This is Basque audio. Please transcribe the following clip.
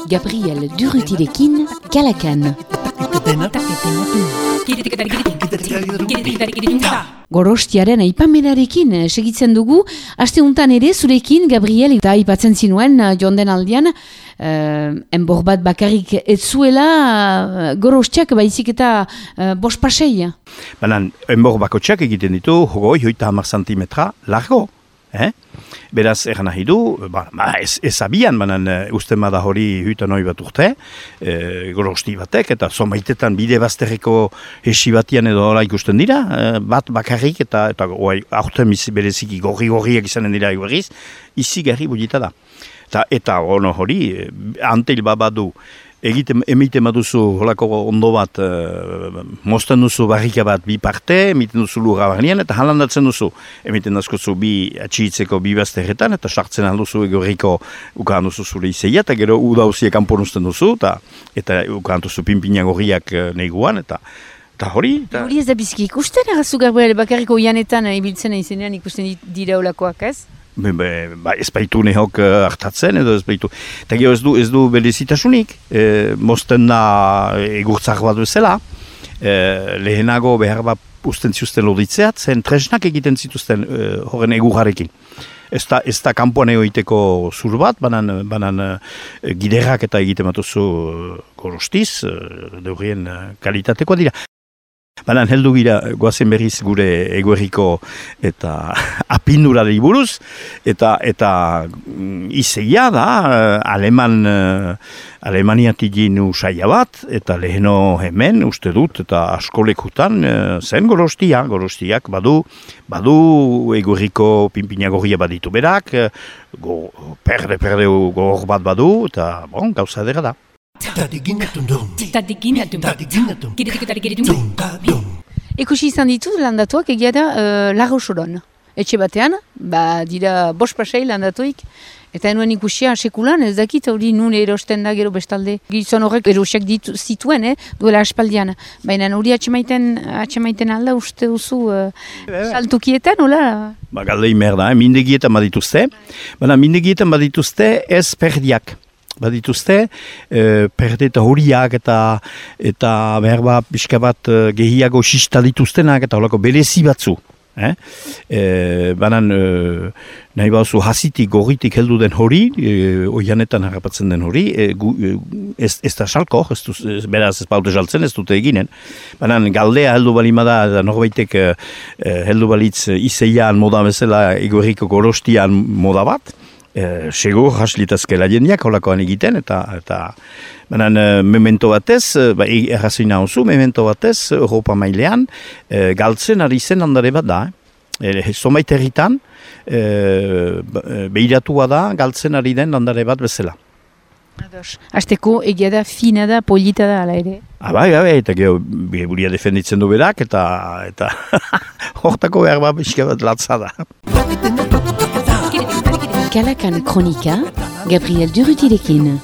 Gabriel Durrutirekin, Kalakan. Gorostiaren aipamenarekin segitzen dugu, aste untan ere zurekin, Gabriel, eta aipatzen zinuen jonden aldian, enbor bat bakarrik ez zuela gorostiak baizik eta bospasei. Baina, enbor bakotxak egiten ditu, hogeita 10 centimetra largo. Beraz, eran nahi du, ez abian, baina usten bada hori huitan hori bat urte, gorosti batek, eta zomaitetan bide bazterreko hesi batian edo hola ikusten dira, bat bakarrik, eta aurten bereziki gorri-gorriak izanen dira eguerriz, izi gerri budita da. Eta ono hori, antel babadu, emiten baduzu holako ondo bat, mozten duzu barrika bat bi parte, emiten duzu lurra barnean, eta halandatzen duzu. Emiten dazkozu bi atxiitzeko bi bazterretan, eta sartzen alduzu egorriko ukan duzu zure izeia, eta gero udauziak kanponuzten duzu, eta ukan duzu pinpina gorriak neguan, eta hori. Hori ez da biziki ikusten, agazu Gabriel, bakarriko ianetan ibiltzen izenean ikusten dira olakoak, ez? Ez baitu nehok hartatzen edo ez baitu. Eta gero ez du berezitasunik, mozten da egurtzak bat bezala, lehenago behar bat usten ziusten loditzeat, zen tresnak egiten zituzten horren egurrarekin. Ez da kanpoan egoiteko zur bat, banan giderrak eta egiten batuzu gorostiz, deurien kalitatekoa dira. Baina heldu gira goazen berriz gure eguerriko eta apindurari buruz, eta izeia da Alemaniatik ginu saia bat, eta leheno hemen uste dut, eta askolekutan zen gorostiak badu eguerriko pinpina gorria baditu berak, perde gor bat badu, eta gauza edera da. Ikusi izan ditut landatuak egia da Larrosoron. Etxe batean, dira bospasei landatuik, eta enuen ikusia sekulan, ez dakit hori nun erosten da gero bestalde. Gizon horrek erosiak zituen, duela aspaldian. Baina hori atxemaiten alda uste duzu saltukietan, hola? Galdei merda, mindegietan badituzte, baina mindegietan badituzte ez perdiak. Badituzte, perde eta horiak eta behar pixka bat gehiago xista dituztenak eta holako berezi batzu. Banan nahi bauzu hasitik gorritik heldu den hori, oianetan harrapatzen den hori, ez da salko, beraz ez baute saltzen, ez dute eginen. Banan galdea heldu balimada, norbaitek heldu balitz izeian moda bezala egorriko gorostian moda bat, segur haslitazkela jendiak holakoan egiten, eta memento batez, errazoina oso, memento batez, Europa mailean, galtzen ari zen landare bat da. Zomait herritan, behiratua da, galtzen ari den landare bat bezala. Azteko egia da, fina da, polita da, ala ere? Bai, eta gero, buria defenditzen du berak, eta hortako behar bat bizka bat latza da. Kalakan Kronika, Gabriel Durrutirekin.